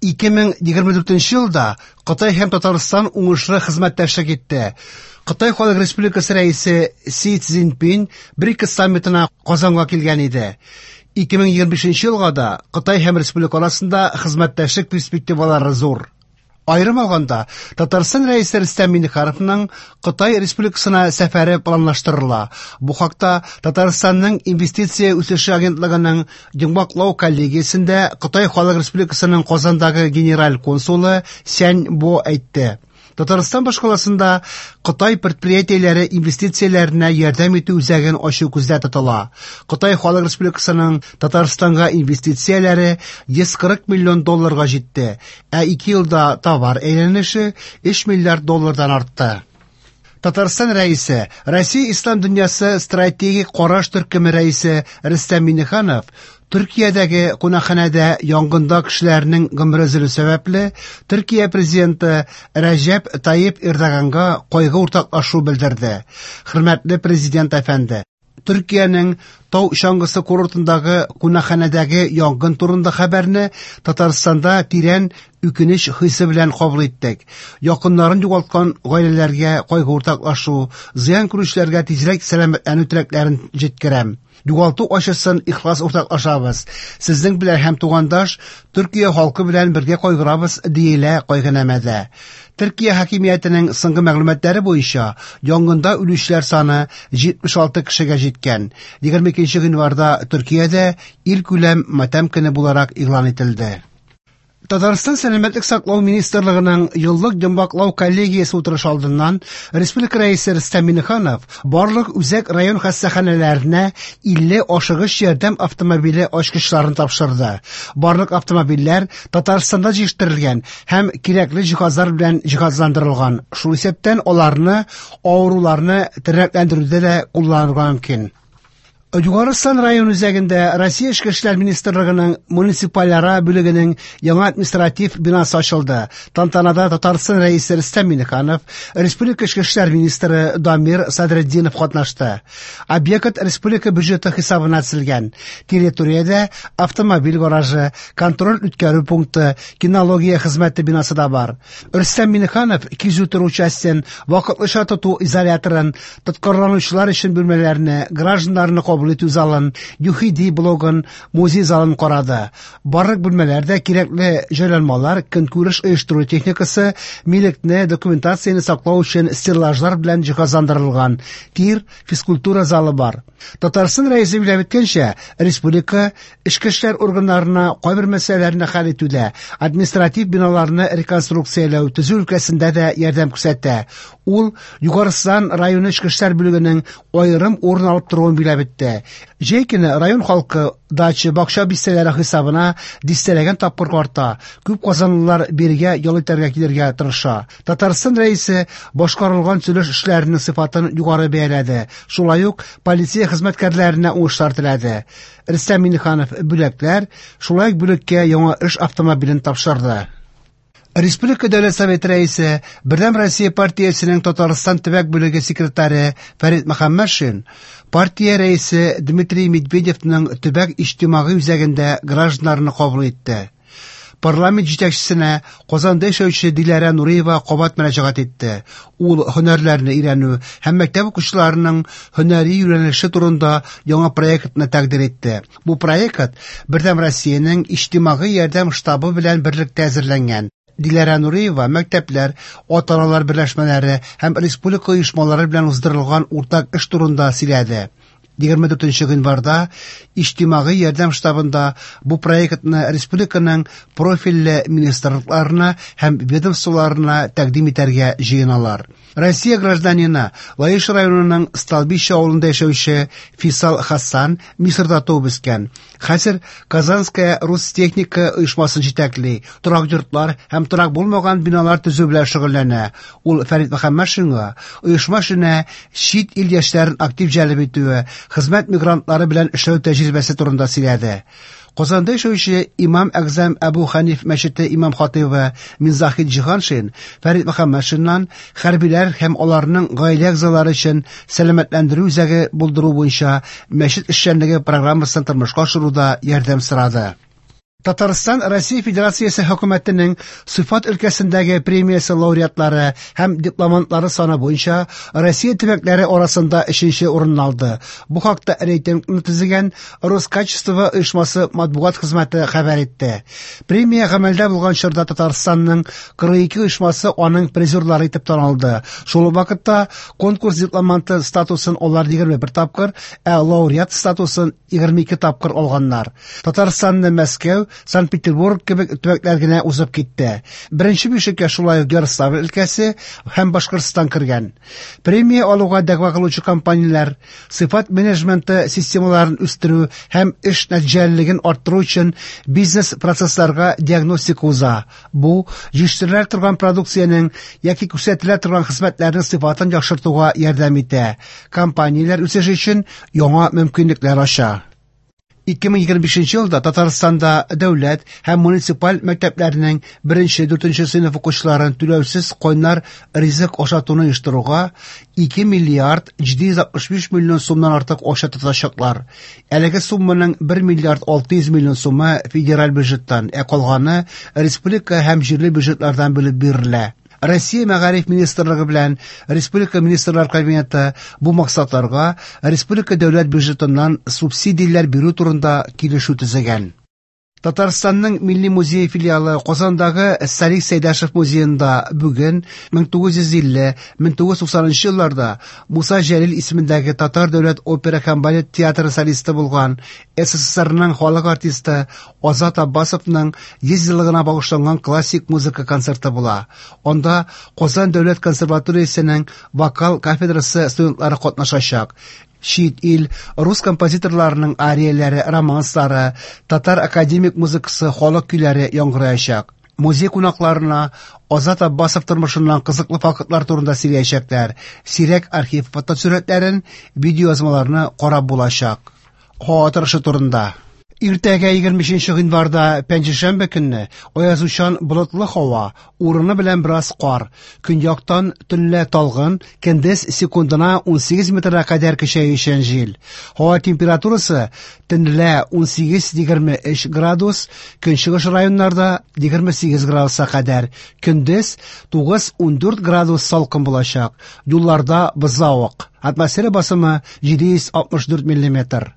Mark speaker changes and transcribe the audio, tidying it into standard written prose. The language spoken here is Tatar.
Speaker 1: 2024 елда Кытай һәм Татарстан уңышлы хезмәттәшлек итте. Кытай Халык Республикасы рәисе Си Цзиньпин БРИКС саммитына Казанга килгән иде. 2025 елга да Кытай һәм республика арасында хезмәттәшлек перспективалары зур. Аерым алганда, Татарстан Рәисе Рөстәм Миңнехановның Кытай Республикасына сәфәре планлаштырыла. Бу хакта Татарстанның Инвестиция үсеше агентлыгының йомгаклау коллегиясендә Кытай Халык Республикасының Казандагы генераль консулы Сянь Бо әйтте. Татарстан башкаласында Кытай предприятиеләре инвестицияләренә ярдәм итү үзәген ачу күздә тотыла. Кытай Халык Республикасының Татарстанга инвестицияләре 140 миллион долларга җитте, ә ике елда товар әйләнеше 3 миллиард доллардан артты. Татарстан Рәисе, Россия Ислам дөньясы стратегик караш төркеме рәисе Рөстәм Миңнеханов Төркиядәге кунакханәдә янгында кешеләрнең гомере өзелү сәбәпле, Төркия президенты Рәҗәп Тайип Эрдоганга кайгы уртаклашу белдерде. Хөрмәтле президент әфәнде, Төркиянең тау чаңгысы курортындагы кунакханәдәге янгын турында хәбәрне Татарстанда тирән үкенеч хисе белән кабул иттек. Якыннарын югалткан гаиләләргә кайгы уртаклашу, зыян күрүчеләргә тизрәк сәламәтләнү теләкләрен җиткерәм. Югалту ачысын ихлас уртаклашабыз. Сезнең белән һәм тугандаш Төркия халкы белән бергә кайгырабыз, диелә кайгынамәдә. Төркия хакимиятенең соңгы мәгълүматлары буенча, янгында үлүчеләр саны 76 кешегә җиткән. 22 гыйнварда Төркиядә илкүләм матәм көне буларак игълан ителде. Татарстан Сәламәтлек саклау министрлыгының еллык йомгаклау коллегиясе утырышы алдыннан республика Рәисе Рөстәм Миңнеханов барлык үзәк район хастаханәләренә 50 ашыгыч ярдәм автомобиле ачкычларын тапшырды. Барлык автомобильләр Татарстанда җитештерелгән һәм кирәкле җиһазлар белән җиһазландырылган. Шул исәптән аларны авыруларны тернәкләндерүдә дә кулланырга мөмкин. Югары Сан район үзәгендә Россия Эчке эшләр министрлыгының муниципальара бүлегенең яңа административ бинасы ачылды. Тантанада Татарстан Рәисе Рөстәм Миңнеханов, республика Эчке эшләр министры Дамир Садретдинов катнашты. Объект республика бюджеты хисабына төзелгән. Территориядә автомобиль гаражы, контроль үткәрү пункты, кинология хезмәте бинасы да бар. Рөстәм Миңнеханов кизү тору частен, вакытлыча тоту изоляторын, Тоткарланучылар өчен бүлмәләрне, гражданнарны кабул итү залын, ЮХИДИ блогын, музей залын карады. Барлык бүлмәләрдә кирәкле җайланмалар, көнкүреш оештыру техникасы, милекне, документацияне саклау өчен стеллажлар белән җиһазландырылган тир, физкультура залы бар. Татарстан Рәисе билгеләп үткәнчә, республика эчке эшләр органнарына кайбер мәсьәләләрне хәл итүдә, административ биналарны реконструкцияләү, төзү өлкәсендә дә ярдәм күрсәтә. Ул Югары Сан районы эчке эшләр бүлегенең аерым урын алып торуын билгеләп үтте. Җәй көне район халкы дача, бакча бистәләре хисабына дистәләгән тапкыр арта. Күп казанлылар бирегә ял итәргә килергә тырыша. Татарстан Рәисе башкарылган төзелеш эшләренең сыйфатын югары бәяләде. Шулай ук полиция хезмәткәрләренә уңышлар теләде. Рөстәм Миңнеханов бүләкләр, шулай ук бүлеккә яңа эш автомобилен тапшырды. Республика Дәүләт Советы Рәисе, Бердәм Россия партиясенең Татарстан төбәк бүлеге секретаре Фәрит Мөхәммәтшин партия рәисе Дмитрий Медведевның төбәк иҗтимагый үзәгендә гражданнарны кабул итте. Парламент җитәкчесенә Казанда яшәүче Диләрә Нуриева кабат мөрәҗәгать итте. Ул һөнәрләрне өйрәнү һәм мәктәп укучыларының һөнәри юнәлеше турында яңа проектны тәкъдир итте. Бу проект Бердәм Россиянең иҗтимагый ярдәм штабы белән берлектә әзерләнгән. Диләрә Нуриева мәктәпләр, ата-аналар берләшмәләре һәм республика оешмалары белән уздырылган уртак эш турында сөйләде. 24 гыйнварда иҗтимагый ярдәм штабында бу проектны республиканың профильле министрлыкларына һәм ведомстволарына тәкъдим итәргә җыеналар. Россия гражданины, Лаеш районының Столбище авылында яшәүче Фисал Хасан Мисырда туып үскән. Хәзер Казанская Рустехника оешмасын җитәкли, торак йортлар һәм торак булмаган биналар төзү белән шөгыльләнә. Ул Фәрит Мөхәммәтшинга оешма эшенә чит ил яшьләрен актив җәлеп итүе, хезмәт мигрантлары белән эшләү тәҗрибәсе турында сөйләде. Казанда яшәүче Имам Әгъзам Әбу Хәниф мәчете имам-хатыйбы Минзахид Җиһаншин Фәрит Мөхәммәтшиннан хәрбиләр һәм аларның гаилә әгъзалары өчен сәламәтләндерү үзәге булдыру буенча мәчет эшчәнлеге программасын тормышка ашыруда ярдәм сорады. Татарстан Россия Федерациясе Хөкүмәтенең сыйфат өлкәсендәге премиясе лауреатлары һәм дипломантлары саны буенча Россия төбәкләре арасында өченче урынны алды. Бу хакта рейтингны төзегән Роскачество оешмасы матбугат хезмәте хәбәр итте. Премия гамәлдә булган чорда Татарстанның 42 оешмасы аның призерлары итеп танылды. Шул ук вакытта конкурс дипломанты статусын алар 21 тапкыр, ә лауреат статусын 22 тапкыр алганнар. Татарстанны Мәскәү, Санкт-Петербург кебек төбәкләр генә узып китте. Беренче бишлеккә шулай ук Ярославль өлкәсе һәм Башкортстан кергән. Премия алуга дәгъва кылучы компанияләр сыйфат менеджменты системаларын үстерү һәм эш нәтиҗәлелеген арттыру өчен бизнес-процессларга диагностика уза. Бу җитештерелә торган продукциянең яки күрсәтелә торган хезмәтләрнең сыйфатын яхшыртуга ярдәм итә. Компанияләр үсеше өчен яңа мөмкинлекләр ача. 2025 елда Татарстанда дәүләт һәм муниципаль мәктәпләрнең беренче-дүртенче сыйныф укучыларын түләүсез кайнар ризык ашатуны оештыруга 2 миллиард 765 миллион сумнан артык акча тотачаклар. Әлеге сумманың 1 миллиард 600 миллион сумы федераль бюджеттан, ә калганы республика һәм җирле бюджетлардан бүлеп бирелә. Россия Мәгариф министрлыгы белән Республика Министрлар Кабинеты бу максатларга республика дәүләт бюджетыннан субсидияләр бирү турында килешү төзегән. Татарстанның Милли музее филиалы Казандагы Салих Сәйдәшев музеенда бүген 1950-1990 елларда Муса Җәлил исемендәге Татар дәүләт опера һәм балет театры солисты булган СССРның халык артисты Азат Аббасовның 100 еллыгына багышланган классик музыка концерты була. Анда Казан дәүләт консерваториясенең вокал кафедрасы студентлары катнашачак. Чит ил рус композиторларының арияләре, романслары, татар академик музыкасы, халык көйләре яңгыраячак. Музей кунакларына Азат Аббасов тормышыннан кызыклы фактлар турында сөйләячәкләр. Сирәк архив фотосурәтләрен, видеоязмаларны карап булачак. Һава торышы турында. Иртәгә 25 гыйнварда пәнҗешәмбе көнне аязучан болытлы һава, урыны белән бераз кар. Көньяктан төнлә талгын, көндез секундына 18 метрга кадәр көчәючән җил. Һава температурасы төнлә 18-23 градус, көнчыгыш районнарда 28 градуска кадәр. Көндез 9-14 градус салкын булачак. Юлларда бозлавык. Атмосфера басымы 764 миллиметр.